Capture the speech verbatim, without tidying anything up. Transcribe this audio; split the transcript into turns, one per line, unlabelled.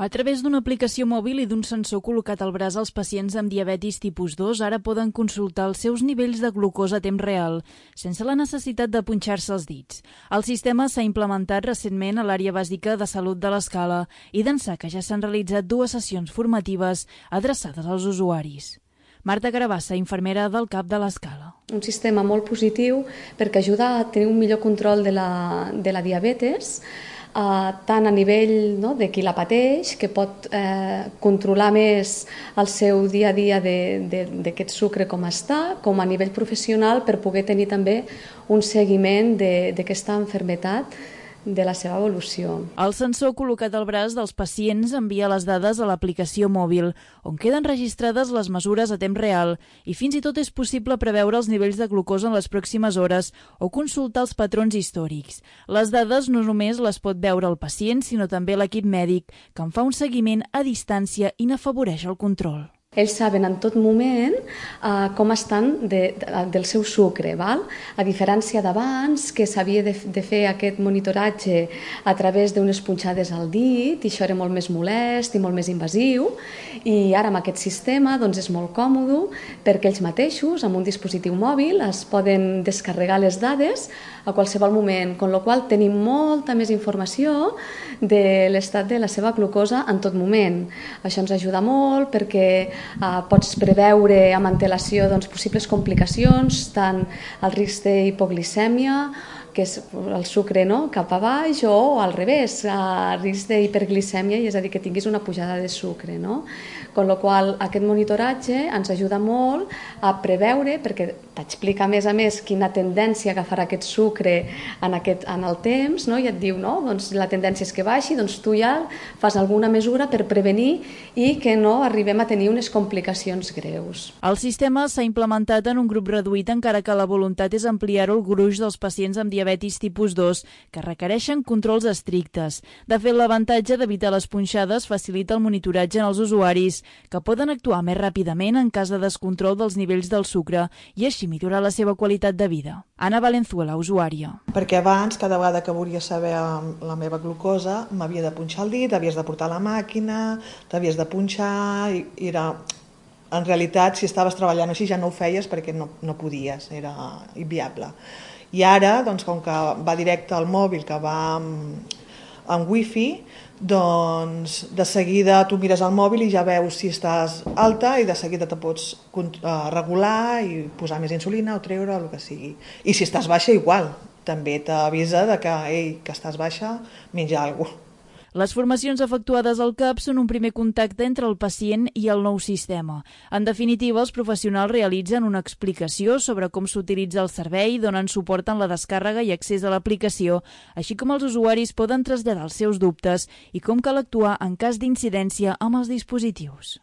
A través d'una aplicació mòbil i d'un sensor col·locat al braç, els pacients amb diabetis tipus dos ara poden consultar els seus nivells de glucosa a temps real, sense la necessitat de punxar-se els dits. El sistema s'ha implementat recentment a l'àrea bàsica de salut de l'Escala i d'ençà que ja s'han realitzat dues sessions formatives adreçades als usuaris. Marta Carabassa, infermera del CAP de l'Escala.
Un sistema molt positiu perquè ajuda a tenir un millor control de la, de la diabetes, Uh, tant a nivell no, de qui la pateix, que pot eh, controlar més el seu dia a dia d'aquest sucre com està, com a nivell professional per poder tenir també un seguiment d'aquesta malaltia, de la seva evolució.
El sensor col·locat al braç dels pacients envia les dades a l'aplicació mòbil, on queden registrades les mesures a temps real i fins i tot és possible preveure els nivells de glucosa en les pròximes hores o consultar els patrons històrics. Les dades no només les pot veure el pacient, sinó també l'equip mèdic, que en fa un seguiment a distància i n'afavoreix el control.
Ells saben en tot moment uh, com estan de, de, del seu sucre, val? A diferència d'abans, que s'havia de, de fer aquest monitoratge a través d'unes punxades al dit, i això era molt més molest i molt més invasiu, i ara amb aquest sistema doncs, és molt còmode perquè ells mateixos, amb un dispositiu mòbil, es poden descarregar les dades a qualsevol moment, amb la qual cosa tenim molta més informació de l'estat de la seva glucosa en tot moment. Això ens ajuda molt perquè Uh, pots preveure amb antelació doncs, possibles complicacions, tant el risc d'hipoglicèmia, que és el sucre no? cap a baix, o al revés, el risc d'hiperglicèmia, és a dir, que tinguis una pujada de sucre. No? Con la qual aquest monitoratge ens ajuda molt a preveure, perquè t'explica a més a més quina tendència agafarà aquest sucre en, aquest, en el temps, no? I et diu, no? Doncs la tendència és que baixi, doncs tu ja fas alguna mesura per prevenir i que no arribem a tenir unes complicacions greus.
El sistema s'ha implementat en un grup reduït, encara que la voluntat és ampliar-ho al gruix dels pacients amb diabetis tipus dos, que requereixen controls estrictes. De fet, l'avantatge d'evitar les punxades facilita el monitoratge en els usuaris, que poden actuar més ràpidament en cas de descontrol dels nivells del sucre i així millorar la seva qualitat de vida. Ana Valenzuela, usuària.
Perquè abans, cada vegada que volia saber la meva glucosa, m'havia de punxar el dit, havies de portar la màquina, t'havies de punxar, i era... En realitat, si estaves treballant així ja no ho feies perquè no, no podies, era inviable. I ara, doncs, com que va directe al mòbil, que va amb, amb wifi, doncs de seguida tu mires el mòbil i ja veus si estàs alta i de seguida te pots regular i posar més insulina o treure, el que sigui. I si estàs baixa, igual. També t'avisa de que, ei, que estàs baixa, menja alguna cosa.
Les formacions efectuades al CAP són un primer contacte entre el pacient i el nou sistema. En definitiva, els professionals realitzen una explicació sobre com s'utilitza el servei, donen suport en la descàrrega i accés a l'aplicació, així com els usuaris poden traslladar els seus dubtes i com cal actuar en cas d'incidència amb els dispositius.